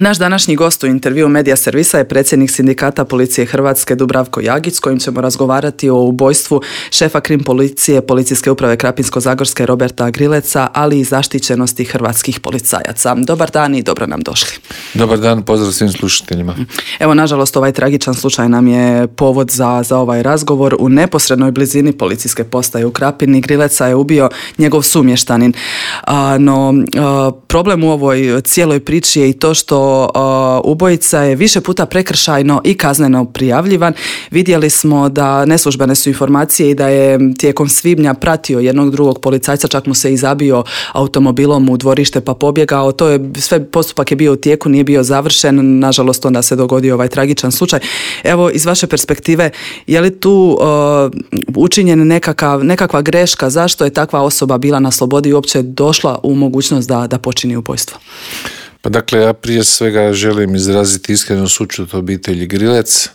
Naš današnji gost u intervju Medija servisa je predsjednik Sindikata policije Hrvatske Dubravko Jagić, s kojim ćemo razgovarati o ubojstvu šefa krim policije Policijske uprave Krapinsko-zagorske Roberta Grileca, ali i zaštićenosti hrvatskih policajaca. Dobar dan i dobro nam došli. Dobar dan, pozdrav svim slušateljima. Evo, nažalost, ovaj tragičan slučaj nam je povod za ovaj razgovor. U neposrednoj blizini policijske postaje u Krapini Grileca je ubio njegov sumještanin. No, problem u ovoj cijeloj priči je i to što ubojica je više puta prekršajno i kazneno prijavljivan. Vidjeli smo da neslužbene su informacije i da je tijekom svibnja pratio jednog drugog policajca, čak mu se i zabio automobilom u dvorište pa pobjegao. To je sve, postupak je bio u tijeku, nije bio završen. Nažalost, onda se dogodio ovaj tragičan slučaj. Evo, iz vaše perspektive, je li tu učinjen nekakva greška? Zašto je takva osoba bila na slobodi i uopće došla u mogućnost da počini ubojstvo? Pa dakle, ja prije svega želim izraziti iskrenu sućut obitelji Grilec.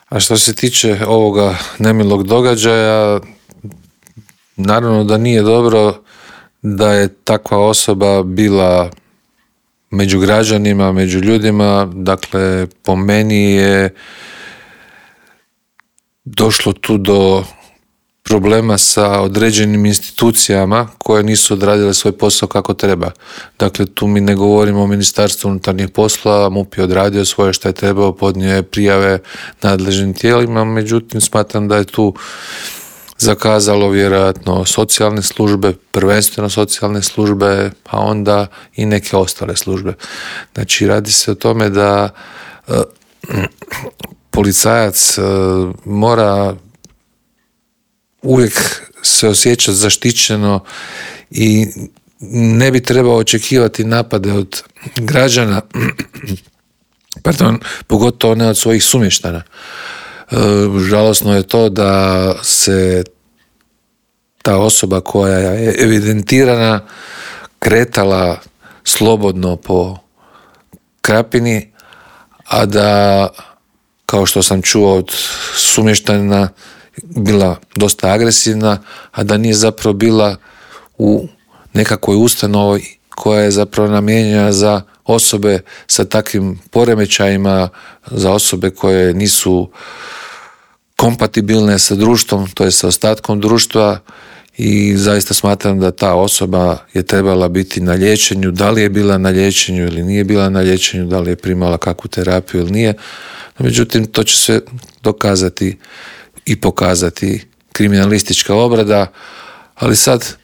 A što se tiče ovoga nemilog događaja, naravno da nije dobro da je takva osoba bila među građanima, među ljudima. Dakle, po meni je došlo tu do problema sa određenim institucijama koje nisu odradile svoj posao kako treba. Dakle, tu mi ne govorimo o Ministarstvu unutarnjih poslova, MUP je odradio svoje što je trebao, podnio je prijave nadležnim tijelima, međutim smatram da je tu zakazalo vjerojatno socijalne službe, prvenstveno socijalne službe, a onda i neke ostale službe. Znači, radi se o tome da policajac mora uvijek se osjećati zaštićeno i ne bi trebao očekivati napade od građana, pogotovo ne od svojih sumještana. Žalosno je to da se ta osoba koja je evidentirana kretala slobodno po Krapini, a da, kao što sam čuo od sumještanina, bila dosta agresivna, a da nije zapravo bila u nekakvoj ustanovi koja je zapravo namijenjena za osobe sa takvim poremećajima, za osobe koje nisu kompatibilne sa društvom, to je sa ostatkom društva, i zaista smatram da ta osoba je trebala biti na liječenju. Da li je bila na liječenju ili nije bila na liječenju, da li je primala kakvu terapiju ili nije. Međutim, to će se dokazati i pokazati kriminalistička obrada, ali sad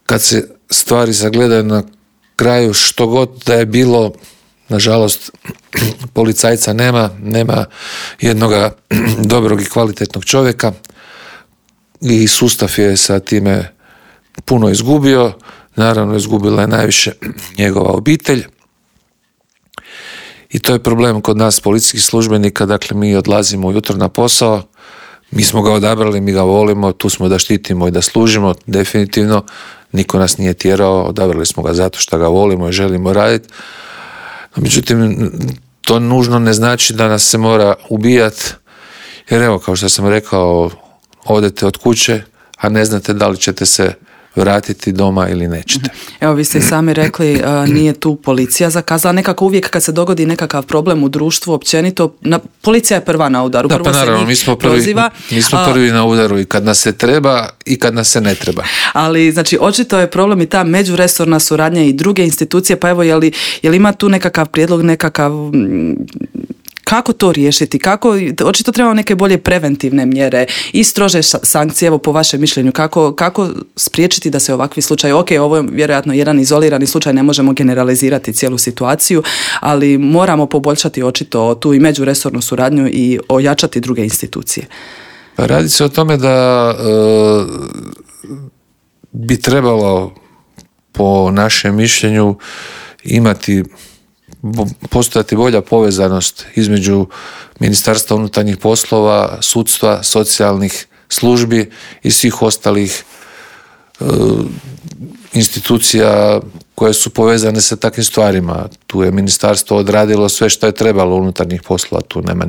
kad se stvari sagledaju na kraju, što god da je bilo, nažalost policajca nema jednoga dobrog i kvalitetnog čovjeka i sustav je sa time puno izgubio. Naravno, izgubila je najviše njegova obitelj i to je problem kod nas policijskih službenika. Dakle, mi odlazimo ujutro na posao, mi smo ga odabrali, mi ga volimo, tu smo da štitimo i da služimo, definitivno, niko nas nije tjerao, odabrali smo ga zato što ga volimo i želimo raditi. Međutim, to nužno ne znači da nas se mora ubijati, jer evo, kao što sam rekao, odete od kuće, a ne znate da li ćete se vratiti doma ili nećete. Evo, vi ste i sami rekli, nije tu policija zakazala. Nekako uvijek kad se dogodi nekakav problem u društvu općenito, policija je prva na udaru. Da, pa naravno, mi smo prvi na udaru i kad nas se treba i kad nas se ne treba. Ali, znači, očito je problem i ta međuresorna suradnja i druge institucije, pa evo, je li ima tu nekakav prijedlog, kako to riješiti? Očito trebamo neke bolje preventivne mjere i strože sankcije, evo po vašem mišljenju, kako spriječiti da se ovakvi slučaj, ok, ovo je vjerojatno jedan izolirani slučaj, ne možemo generalizirati cijelu situaciju, ali moramo poboljšati očito tu i međuresornu suradnju i ojačati druge institucije. Pa radi se o tome da bi trebalo, po našem mišljenju, postojati bolja povezanost između Ministarstva unutarnjih poslova, sudstva, socijalnih službi i svih ostalih institucija koje su povezane sa takvim stvarima. Tu je ministarstvo odradilo sve što je trebalo unutarnjih poslova, tu nema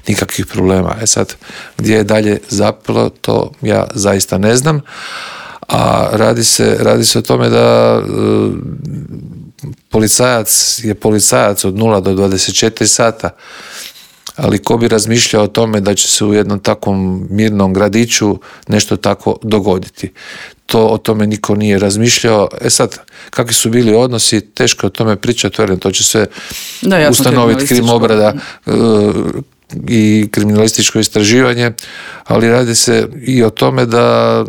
nikakvih problema. Sad, gdje je dalje zapelo, to ja zaista ne znam, a radi se o tome da policajac je policajac od 0 do 24 sata, ali ko bi razmišljao o tome da će se u jednom takvom mirnom gradiću nešto tako dogoditi. O tome niko nije razmišljao. Sad, kakvi su bili odnosi, teško o tome pričati, to će se ustanoviti krimobrada i kriminalističko istraživanje, ali radi se i o tome da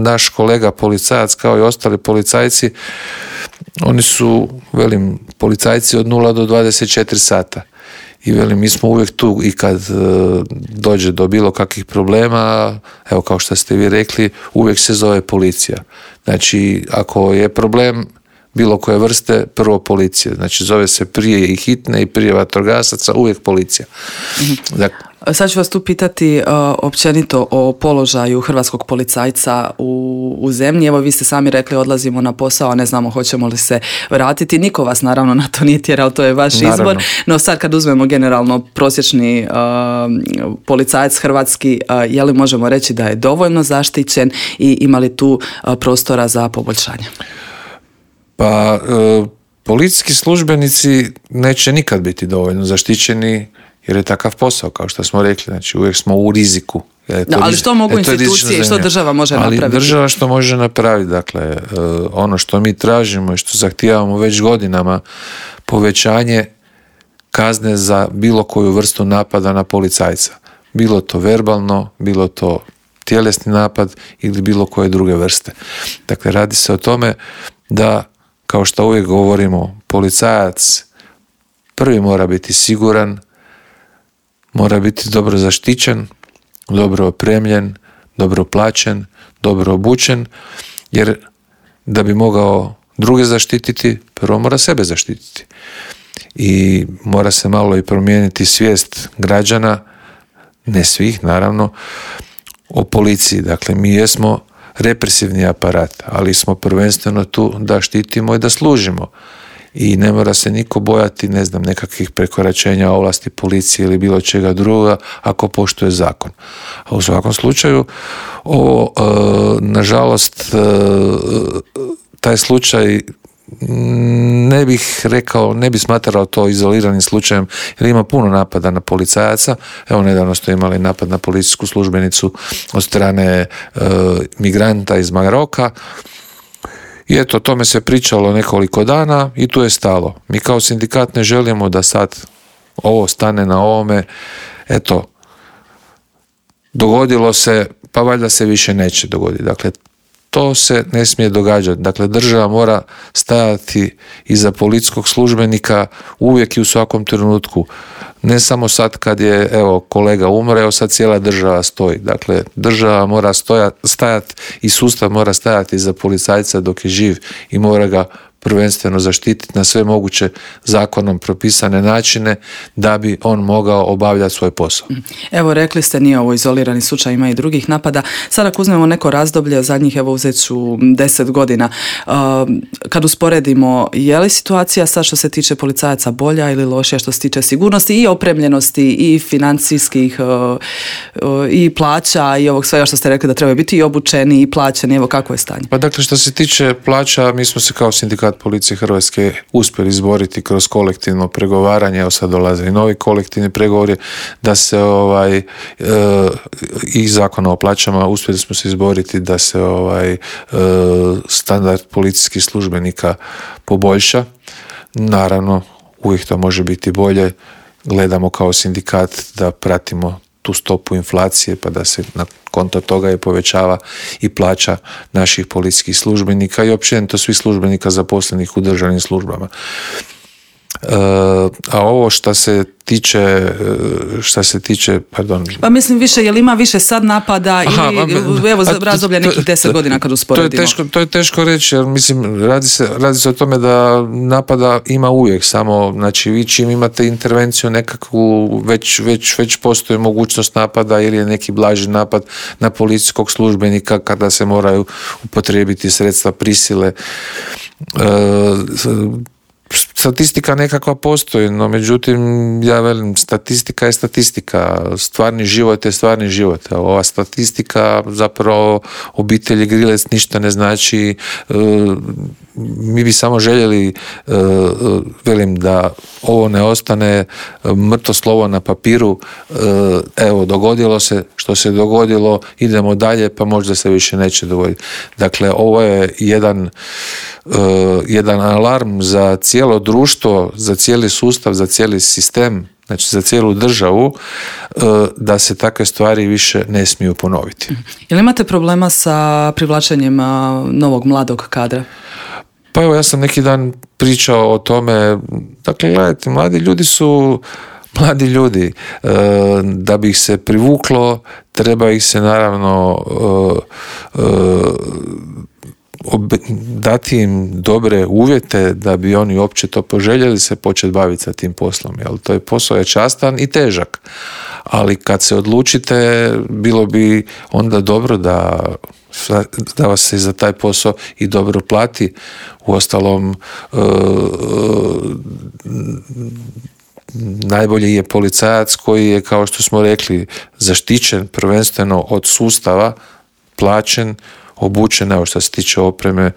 naš kolega policajac, kao i ostali policajci, oni su, policajci od 0 do 24 sata. I mi smo uvijek tu i kad dođe do bilo kakvih problema, evo kao što ste vi rekli, uvijek se zove policija. Znači, ako je problem bilo koje vrste, prvo policija. Znači, zove se prije i hitne i prije vatrogasaca, uvijek policija. Dakle, sad ću vas tu pitati općenito o položaju hrvatskog policajca u zemlji. Evo, vi ste sami rekli, odlazimo na posao, a ne znamo hoćemo li se vratiti. Niko vas naravno na to nije tjerao, to je vaš izbor. No sad kad uzmemo generalno prosječni policajac hrvatski, je li možemo reći da je dovoljno zaštićen i ima li tu prostora za poboljšanje? Pa, policijski službenici neće nikad biti dovoljno zaštićeni jer je takav posao, kao što smo rekli, znači uvijek smo u riziku. Ali što mogu institucije i što država može napraviti? Ali država što može napraviti, dakle, ono što mi tražimo i što zahtijevamo već godinama, povećanje kazne za bilo koju vrstu napada na policajca. Bilo to verbalno, bilo to tjelesni napad ili bilo koje druge vrste. Dakle, radi se o tome da, kao što uvijek govorimo, policajac prvi mora biti siguran, mora biti dobro zaštićen, dobro opremljen, dobro plaćen, dobro obučen, jer da bi mogao druge zaštititi, prvo mora sebe zaštititi. I mora se malo i promijeniti svijest građana, ne svih naravno, o policiji. Dakle, mi jesmo represivni aparat, ali smo prvenstveno tu da štitimo i da služimo. I ne mora se niko bojati, nekakvih prekoračenja ovlasti policije ili bilo čega druga ako poštuje zakon. A u svakom slučaju, nažalost, taj slučaj ne bih rekao, ne bih smatrao to izoliranim slučajem, jer ima puno napada na policajaca. Evo, nedavno ste imali napad na policijsku službenicu od strane migranta iz Maroka. I eto, o tome se pričalo nekoliko dana i tu je stalo. Mi kao sindikat ne želimo da sad ovo stane na ovome. Eto, dogodilo se, pa valjda se više neće dogoditi. Dakle, to se ne smije događati. Dakle, država mora stajati iza policijskog službenika uvijek i u svakom trenutku. Ne samo sad kad je, kolega umre, sad cijela država stoji. Dakle, država mora stajati i sustav mora stajati iza policajca dok je živ i mora ga prvenstveno zaštititi na sve moguće zakonom propisane načine da bi on mogao obavljati svoj posao. Evo, rekli ste, nije ovo izolirani slučaj, ima i drugih napada. Sad ako uzmemo neko razdoblje, zadnjih, uzet ću 10 godina, kad usporedimo, je li situacija sad što se tiče policajaca bolja ili lošija što se tiče sigurnosti i opremljenosti i financijskih i plaća i ovog svega što ste rekli da trebaju biti i obučeni i plaćeni, evo kako je stanje? Pa dakle, što se tiče plaća, mi smo se kao sindikat policije Hrvatske uspjeli izboriti kroz kolektivno pregovaranje, evo sad dolaze i novi kolektivni pregovori, da se i zakona o plaćama uspjeli smo se izboriti da se standard policijskih službenika poboljša. Naravno, uvijek to može biti bolje. Gledamo kao sindikat da pratimo tu stopu inflacije, pa da se na konto toga je povećava i plaća naših policijskih službenika i općenito svih službenika zaposlenih u državnim službama. A ovo što se tiče, pardon. Pa mislim više, jel ima više sad napada ili evo za razdoblje nekih 10 godina kad usporedimo? To je teško reći, jer mislim, radi se o tome da napada ima uvijek, samo, znači, vi čim imate intervenciju nekakvu, već postoji mogućnost napada ili je neki blaži napad na policijskog službenika kada se moraju upotrijebiti sredstva prisile. statistika nekakva postoji, no međutim, ja velim, statistika je statistika, stvarni život je stvarni život. Ova statistika, zapravo, obitelji Grilec ništa ne znači. Mi bi samo željeli, velim, da ovo ne ostane mrtvo slovo na papiru. Evo, dogodilo se što se dogodilo, idemo dalje, pa možda se više neće dogoditi. Dakle, ovo je jedan alarm za cijelo društvo, za cijeli sustav, za cijeli sistem, znači za cijelu državu, da se takve stvari više ne smiju ponoviti. Jel imate problema sa privlačenjem novog mladog kadra? Pa evo, ja sam neki dan pričao o tome. Dakle, gledajte, mladi ljudi su mladi ljudi. Da bi ih se privuklo, treba ih se naravno dati im dobre uvjete da bi oni uopće to poželjeli se početi baviti sa tim poslom. Jel? To je posao je častan i težak. Ali kad se odlučite, bilo bi onda dobro da vas se za taj posao i dobro plati. Uostalom, najbolji je policajac koji je, kao što smo rekli, zaštićen prvenstveno od sustava, plaćen, obučen. Evo, što se tiče opreme,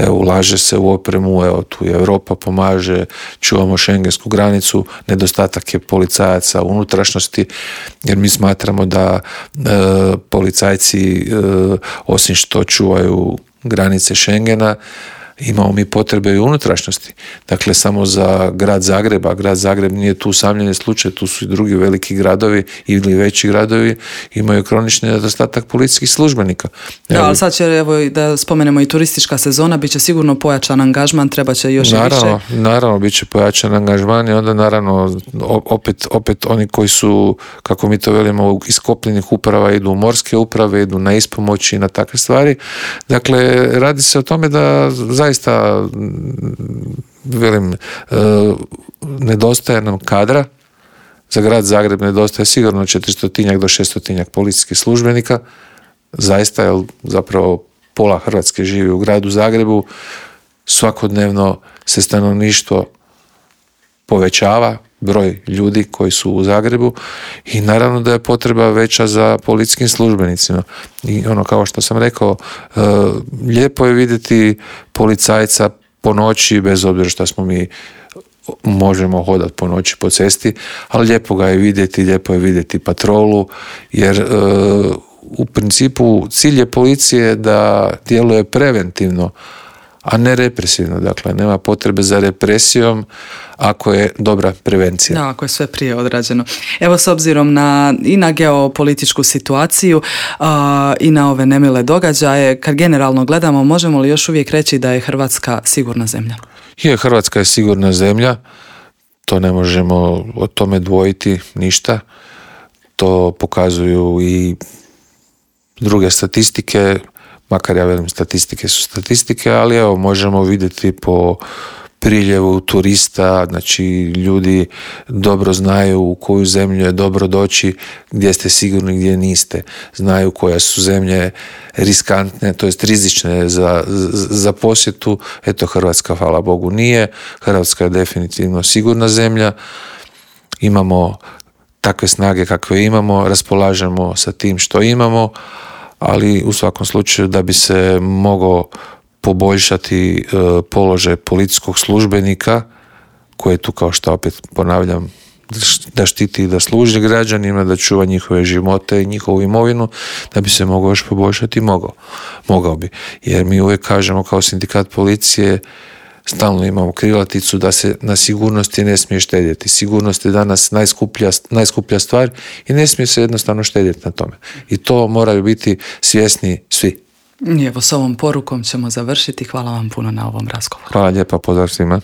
ulaže se u opremu, evo, tu je Europa pomaže, čuvamo šengensku granicu, nedostatak je policajaca u unutrašnjosti, jer mi smatramo da policajci, osim što čuvaju granice Schengena, imamo mi potrebe i unutrašnjosti. Dakle, samo za grad Zagreb, a grad Zagreb nije tu usamljeni slučaj, tu su i drugi veliki gradovi ili veći gradovi, imaju kronični nedostatak policijskih službenika. Da, ali sad će, evo, da spomenemo i turistička sezona, bit će sigurno pojačan angažman, treba će još i više. Naravno, bit će pojačan angažman i onda naravno opet oni koji su, kako mi to velimo, iz kopnenih uprava idu u morske uprave, idu na ispomoći i na takve stvari. Dakle, radi se o tome da zaista, velim, nedostaje nam kadra. Za grad Zagreb nedostaje sigurno 400 do 600 policijskih službenika. Zaista, jer zapravo pola Hrvatske živi u gradu Zagrebu. Svakodnevno se stanovništvo povećava, broj ljudi koji su u Zagrebu, i naravno da je potreba veća za policijskim službenicima. I ono, kao što sam rekao, lijepo je vidjeti policajca po noći, bez obzira što smo mi možemo hodati po noći po cesti, ali lijepo ga je vidjeti, lijepo je vidjeti patrolu, jer u principu cilj je policije da djeluje preventivno, a ne represivno. Dakle, nema potrebe za represijom ako je dobra prevencija. Da, ako je sve prije odrađeno. Evo, s obzirom i na geopolitičku situaciju i na ove nemile događaje, kad generalno gledamo, možemo li još uvijek reći da je Hrvatska sigurna zemlja? Hrvatska je sigurna zemlja, to ne možemo o tome dvojiti ništa. To pokazuju i druge statistike, makar ja velim, statistike su statistike, ali evo, možemo vidjeti po priljevu turista, znači ljudi dobro znaju u koju zemlju je dobro doći, gdje ste sigurni, gdje niste. Znaju koje su zemlje riskantne, to jest rizične za posjetu. Eto, Hrvatska, hvala Bogu, nije. Hrvatska je definitivno sigurna zemlja. Imamo takve snage kakve imamo, raspolažemo sa tim što imamo, ali u svakom slučaju da bi se mogao poboljšati položaj policijskog službenika, koji je tu, kao što opet ponavljam, da štiti i da služi građanima, da čuva njihove živote i njihovu imovinu, da bi se mogao još poboljšati, mogao bi. Jer mi uvijek kažemo kao sindikat policije, stalno imamo krilaticu da se na sigurnosti ne smije štedjeti. Sigurnost je danas najskuplja stvar i ne smije se jednostavno štedjeti na tome. I to moraju biti svjesni svi. I evo, s ovom porukom ćemo završiti. Hvala vam puno na ovom razgovoru. Hvala lijepa, pozdrav svima.